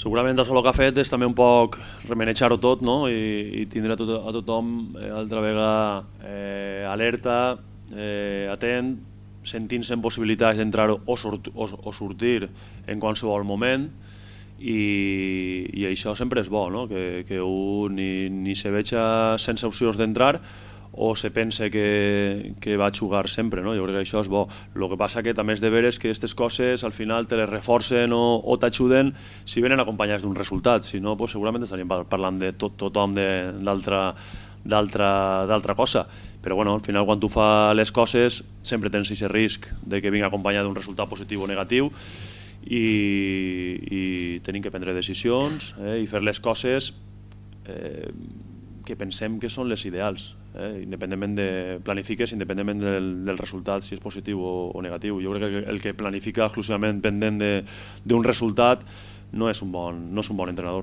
Segurament això el que ha fet és també un poc remenejar-ho tot, no? I tindre a tothom altra vegada alerta, atent, sentint-se en possibilitats d'entrar o sortir en qualsevol moment, i això sempre és bo, no? Que un ni se veja sense opcions d'entrar o se pense que va a jugar sempre, no? Jo crec que això és bo. El que passa que també és de veres que aquestes coses al final te les reforcen o t'ajuden si venen acompanyats d'un resultat, si no pues segurament estaríem parlant de tothom d'altra cosa. Però bueno, al final quan tu fas les coses sempre tens aquest risc de que vingui acompanyat d'un resultat positiu o negatiu, i tenim que prendre decisions i fer les coses que pensem que són les ideals, independentment de planifiques, independentment del resultat, si és positiu o negatiu. Jo crec que el que planifica exclusivament pendent d'un resultat no és un bon entrenador.